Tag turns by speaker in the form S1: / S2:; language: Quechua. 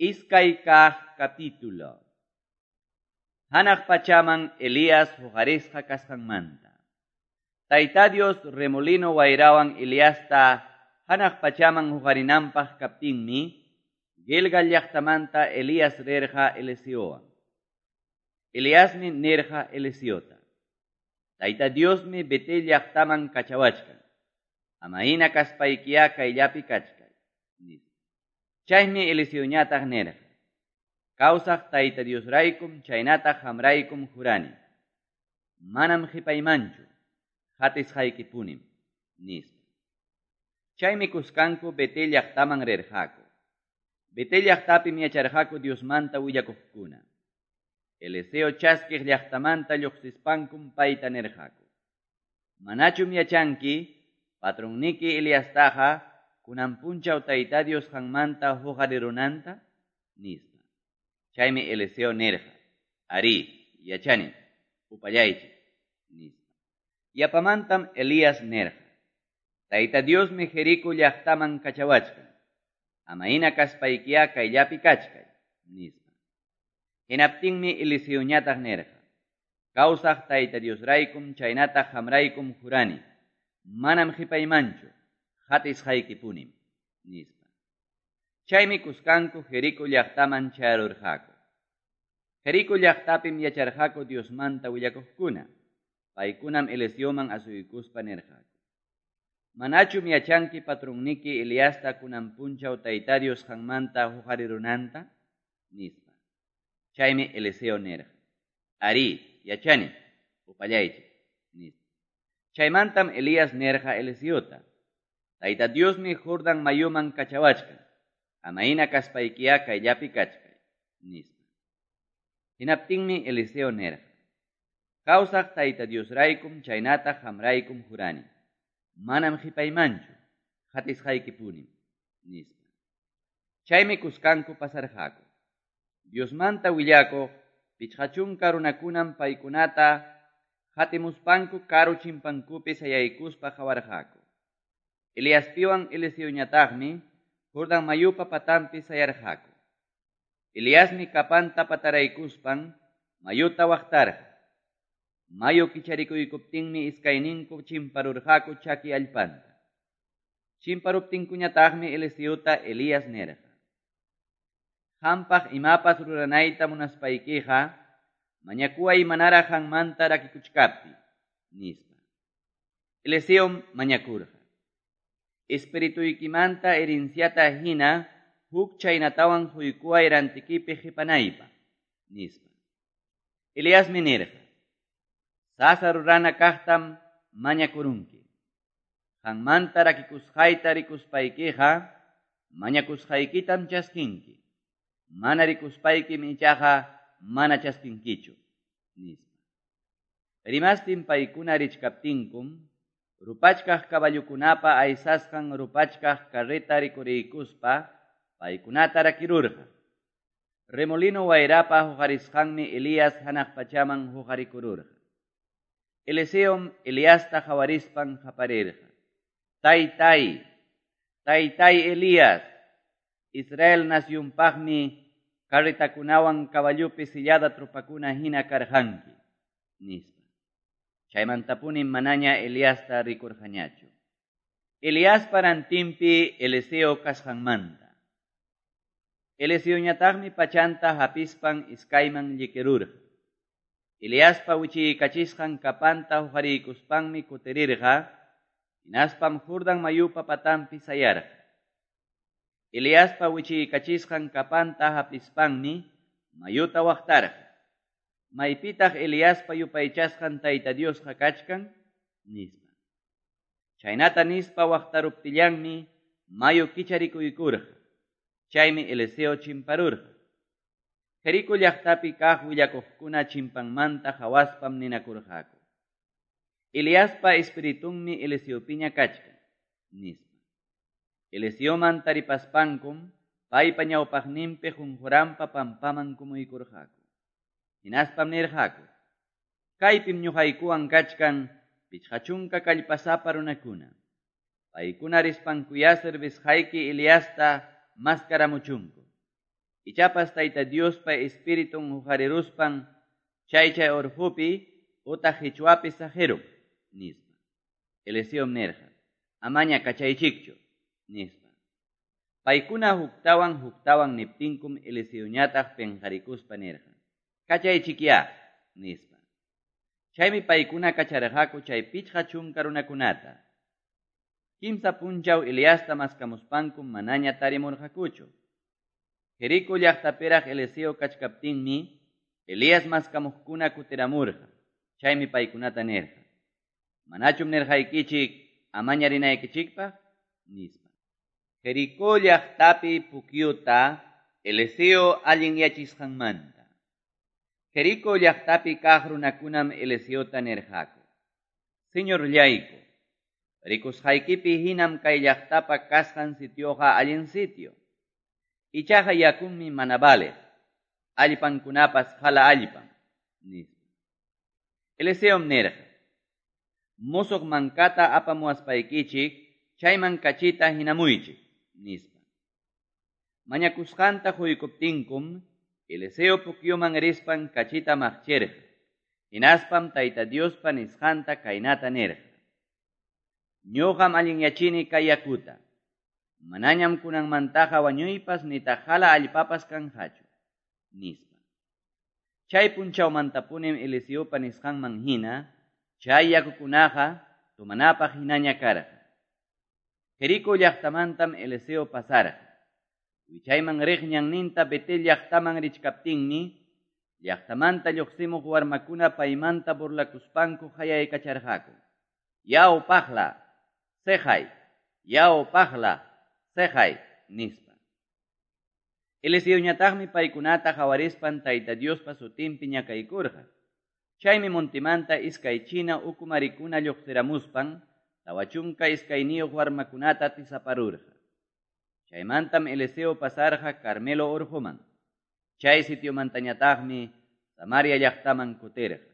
S1: Iskay kaq capítulo. Hanaq pachaman Elías huqarisqa kasqanmanta. Tayta Dios remolino wayrawan Eliasta hanaq pachaman huqarinanpaq kaptinmi, Gilgal llaqtamanta Elías rirqa Eliseowan. Eliasmi nirqa Eliseota: Tayta Diosmi Betel llaqtaman kachawachkan. Ama hina kaspaykiyá kayllapi kachkay, nispa. Chaymi Eliseoñataq nirqa: Kawsaq Tayta Diosraykum chaynataq qamraykum jurani. Manam qipaymanchu, qatisqaykipunim, nispa. Chaymi kuskanku Betel llaqtaman rirqaku. Betel llaqtapim yacharqaku Diosmanta willakuqkuna. Eliseo chaskiq llaqtamanta lluqsispankum payta nirqaku: Manachum yachanki, patronniki Eliastaqa kunan punchaw Tayta Dios qanmanta huqarirunanta? Nispa. Chaymi Eliseo nirqa: Arí, yachanim, upallaychik, nispa. Yapamantam Elías nirqa: Tayta Diosmi Jerico llaqtaman kachawachkan. Ama hina kaspaykiyá kayllapi kachkay, nispa. Hinaptinmi Eliseoñataq nirqa: Kawsaq Tayta Diosraykum chaynataq qamraykum jurani. Manam qipaymanchu, qatisqaykipunim, nispa. Chaymi kuskanku Jerico llaqtaman chayarurqaku. Jerico llaqtapim yacharqaku Diosmanta willakuqkuna. Paykunam Eliseoman asuykuspa nirqaku: Manachum yachanki patronniki Eliasta kunan punchaw Tayta Dios qanmanta huqarirunanta? Nispa. Chaymi Eliseo nirqa: Arí, yachanim, upallaychik, nispa. Chaymantam Elías nirqa Eliseota: Tayta Diosmi Jordan mayuman kachawachkan. Ama hina kaspaykiyá kayllapi kachkay, nispa. Hinaptinmi Eliseo nirqa: Kawsaq Tayta Diosraykum chaynataq qamraykum jurani. Manam qipaymanchu, qatisqaykipunim, nispa. Chaymi kuskanku pasarqaku. Diosmanta willakuq 50 runakunam paykunata qatimuspanku karu chimpankupi sayaykuspa qawarqaku. Eliaspiwan Eliseoñataqmi Jordan mayupa patanpi sayarqaku. Eliasmi kapanta pataraykuspan mayuta waqtarqa. Mayu kicharikuykuptinmi iskayninku chimparurqaku chaki allpanta. Chimparuptinkuñataqmi Eliseota Elías nirqa: Qampaq imapas ruranayta munaspaykiqa, mañakuway manaraq qanmanta rakikuchkaptiy, nispa. Eliseom mañakurqa: Espirituykimanta herenciata hina huk chaynatawan quykuway rantikipi qipanaypaq, nispa. Eliasmi nirqa: Sasa rurana kaqtam mañakurunki. Qanmanta rakikusqayta rikuspaykiqa, mañakusqaykitam chaskinki. Mana rikuspaykim ichaqa mana chaskinkichu, nispa. Rimastin paykuna richkaptinkum, rupachkaq caballokunapa aysasqan rupachkaq carreta rikuriykuspa paykunata rakirurqa. Remolino wayrapa huqarisqanmi Elías hanaq pachaman huqarikururqa. Eliseom Eliasta qawarispan qaparirqa: Taytay, taytay Elías, Israel nacionpaqmi carretakunawan caballopi sillada tropakuna hina karqanki, nispa. Chaymantapunim manaña Eliasta rikurqañachu. Eliaspa rantinpi Eliseo kasqanmanta. Eliseoñataqmi pachanta hapispan iskayman llikirurqa. Eliaspa wichiykachisqan kapanta huqariykuspanmi kutirirqa, hinaspam Jordan mayupa patanpi sayarqa. Eliaspa wichiykachisqan kapanta hapispanmi mayuta waqtarqa. Maypitaq Eliaspa yupaychasqan Tayta Diosqa kachkan? Nispa. Chaynata nispa waqtaruptillanmi mayu kicharikuykurqa. Chaymi Eliseo chimparurqa. Jerico llaqtapi kaq willakuqkuna chimpanmanta qawaspam ninakurqaku: Eliaspa espiritunmi Eliseopiña kachkan, nispa. Eliseoman taripaspankum paypa ñawpaqninpi qunquranpa pampaman kumuykurqaku. Hinaspam nirqaku: Kaypim ñuqaykuwan kachkan 50 kallpasapa runakuna. Paykuna rispankuyá servisqayki Eliasta maskaramuchunku. Ichapas Tayta Diospa Espiritun hoqariruspan chay-chay orqopi otaq qechwapi saqerun, nispa. Eliseom nirqa: Amaña kachaychikchu, nispa. Paykuna huktawan-huktawan niptinkum Eliseoñataq penqarikuspa nirqa: Kachaychikyá, nispa. Chaymi paykuna kacharqaku chay 50 runakunata. Kimsa punchaw Eliasta maskamuspankum manaña tarimurqakuchu. Jericó llaqtapiraq Eliseo kachkaptinmi, Elías maskamuqkuna kutiramurqa. Chaymi paykunata nirqa: Manachum nirqaykichik amaña rinaykichikpaq, nispa. Jericó llaqtapi pukyuta Eliseo allinyachisqanmanta. Jericó llaqtapi kaq runakunam Eliseota nirqaku: Señorllayku, rikusqaykipi hinam kay llaqtapa kasqan sitioqa allin sitio. Ichaqa yakunmi mana valeq, allpankunapas qala allpam, nispa. Eliseom nirqa: Musuq mankata apamuwaspaykichik chayman kachita hinamuychik, nispa. Mañakusqanta quykuptinkum Eliseo pukyuman rispan kachita maqchirqa. Hinaspam Tayta Diospa nisqanta kaynata nirqa: Ñuqam allinyachini kay yakuta. Manañam kunanmantaqa wañuypas nitaq qala allpapas kanqachu, nispa. Chay punchawmantapunim Eliseopa nisqanman hina, chay yakukunaqa tomanapaq hinaña karqa. Jericó llaqtamantam Eliseo pasarqa. Wichayman riq ñanninta Betel llaqtaman richkaptinmi, llaqtamanta lluqsimuq warmakuna paymanta burlakuspanku qayaykacharqaku: Yaw paqla, seqay, yaw paqla, seqay, nispa. Eliseoñataqmi paykunata qawarispan Tayta Diospa sutinpi ñakaykurqa. Chaymi montemanta iskay china ukumarikuna lluqsiramuspan 42 warmakunata tisaparurqa. Chaymantam Eliseo pasarqa Carmelo urquman. Chay sitiomantañataqmi Samaria llaqtaman kutirqa.